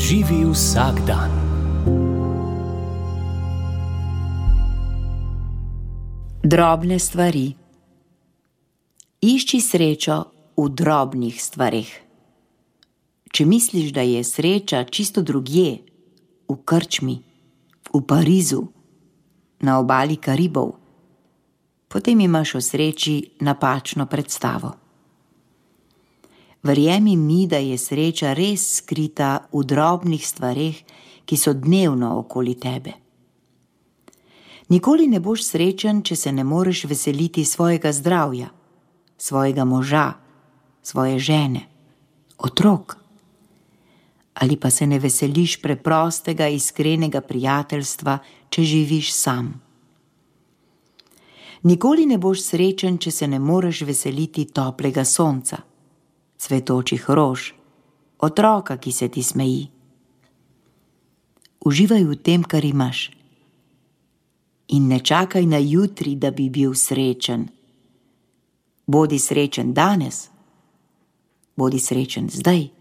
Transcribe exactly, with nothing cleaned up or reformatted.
Živi vsak dan. Drobne stvari. Išči srečo v drobnih stvareh. Če misliš, da je sreča čisto drugje, v krčmi, v Parizu, na obali Karibov, potem imaš o sreči napačno predstavo. Verjemi mi, da je sreča res skrita v drobnih stvareh, ki so dnevno okoli tebe. Nikoli ne boš srečen, če se ne moreš veseliti svojega zdravja, svojega moža, svoje žene, otrok. Ali pa se ne veseliš preprostega, iskrenega prijateljstva, če živiš sam. Nikoli ne boš srečen, če se ne moreš veseliti toplega sonca, cvetočih rož, otroka, ki se ti smeji. Uživaj v tem, kar imaš. In ne čakaj na jutri, da bi bil srečen. Bodi srečen danes, bodi srečen zdaj.